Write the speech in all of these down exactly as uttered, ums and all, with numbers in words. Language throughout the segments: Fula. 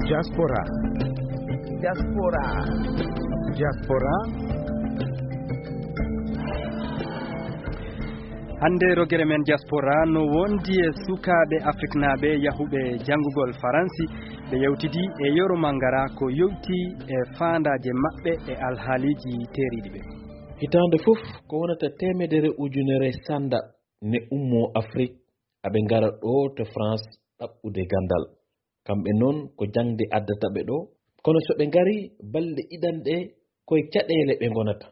Diaspora. Diaspora. Diaspora. Hannde rogere men diaspora no wondi e sukaaɓe afriknaaɓe yahuɓe janngugol Faransi. Ɓe yewtidi e Yoro Mangara ko yowti e faandaaje maɓɓe e alhaaliiji teeriiɗi ɓe. Hitaande fof ko wonata teemedere ujunere sanda ne ummoo Afrik, aɓe ngara ɗo to France ɗaɓɓude ganndal. Kamɓe noon ko jaŋde addata ɓe ɗo, kono so ɓe ngari balɗe ɗiɗanɗe koye caɗeele ɓe ngonata.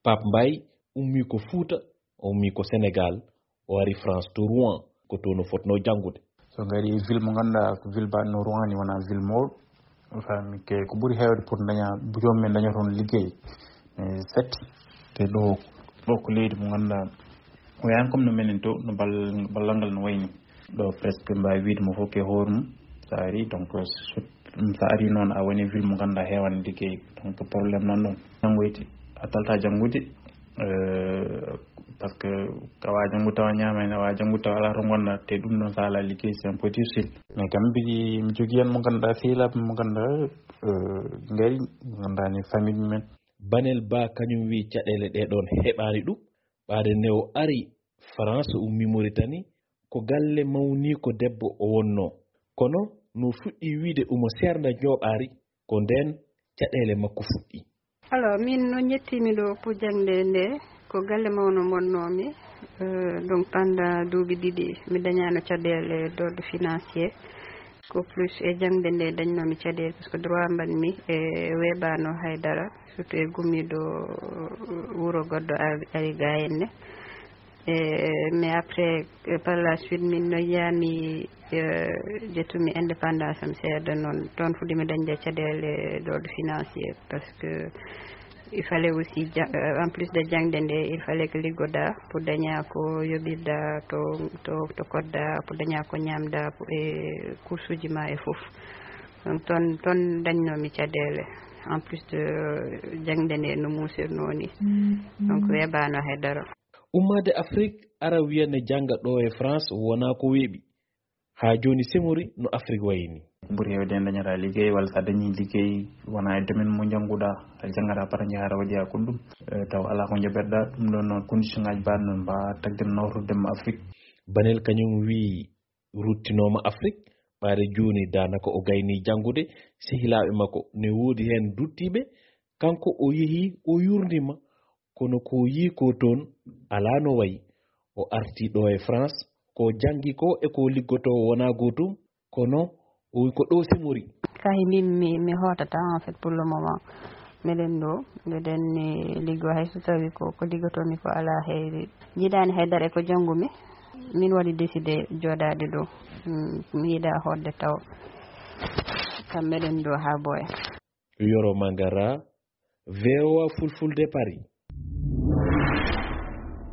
Pape Mbaye ummii ko Fuuta, o ummii ko Senegaal, o ari France to Rouen, ko toon o fotnoo janngude. So ngari ville mo ngannduɗaa ko ville baɗno Rouen ni, wonaa ville mawɗo. Fami ke ko ɓuri heewde pour daña, joom men daña toon liggey. Eh, satti. Te ɗo, ɗo ko leydi mo ngannduɗaa, o yaani comme no menen to, no bal-, ballal ngal no wayni. Ɗo presque mbaawi wiide mo fof ke hoore mum. So ari, donc, so, so ari noon, a woni ville mo ngannduɗaa heewani liggey. Donc, problème nan ɗon. Janngoyti, a talta janngude, eh, parce que a wawa janngude tawa ñaama, a wawa janngude tawa alaa to ngonɗaa, te ɗum ɗon so alaa liggey, c'est un peu difficile. Mais kam mbiɗi, mi jogii heen mo ngannduɗaa, sehilaaɓe mo ngannduɗaa, eh, ngari, mo ngannduɗaa ni famille men. Banel Ba kañum wi caɗeele ɗe ɗon heɓaani ɗum, ɓaade nde o ari France, ummi Mauritanie, ko galle mawniiko debbo o wonnoo. Kono no fuɗɗi wiide omo seernda njooɓaari, ko ndeen caɗeele makko fuɗɗi. Alors, min no njettiimi ɗo pour jaŋde nde, ko galle mawno wonnoomi, euh, donc pendant duuɓi ɗiɗi, mi dañaano caɗeele d'ordre financier, ko plus e jaŋde nde dañnoomi caɗeele, parce que droit mbaɗmi e weeɓaano hay dara, surtout e gummiiɗo wuro goɗɗo ari, ari ga henne. E, mais après, e, par la suite, min no yiyaami, e, ƴettumi indépendance am seeɗa noon. Toon fuɗɗiimi dañde caɗeele d'ordre financier, parce que il fallait aussi ja-, euh, en plus de jaŋde nde, il fallait que liggoɗaa pour daña ko yoɓirɗaa to, to, to koɗɗaa, pour daña ko ñaamɗaa, pour, e coursuuji ma e fof. Donc toon, toon dañnoomi caɗeele, en plus de, euh, jaŋde nde no muusirnoo ni. Donc weeɓaano hay dara. Ummaade Afrik, ara wiya ne jannga ɗo e France wonaa ko weeɓi. Haa jooni semori no Afrik wayi ni. Ɓuri heewde en dañataa liggey, walla so a dañii liggey, wonaa e domaine mo njannguɗaa, a janngataa pata njahataa waɗi haa ko ɗum. Eh, taw alaa ko njoɓirɗaa, ɗum ɗoon noon condition ngaaji mbaɗ noon mbaawa tagde nawtorde mo Afrik. Banel kañum wii ruttinooma Afrik, ɓaade jooni daanaka o gayni janngude, sehilaaɓe makko ne woodi heen duttiiɓe, kanko o yehi o yurndima, kono ko yii ko toon alaa no wayi. O arti ɗo e France, ko janngi ko e ko liggotoo wonaa gootum, kono o wi ko ɗo semori. Kahi min mi, mi hootata, en fait, pour le moment. Miɗen ɗo, miɗen ni liggo, hay so tawi ko, ko liggotoomi ko alaa heyri. Jiidaani haydara e ko janngumi. Min waɗi décidé jooɗaade ɗo. Mm, mi yiɗa hootde taw. Kam miɗen ɗo haa boya. Yoro Mangara, V O A Fulfulde Paris.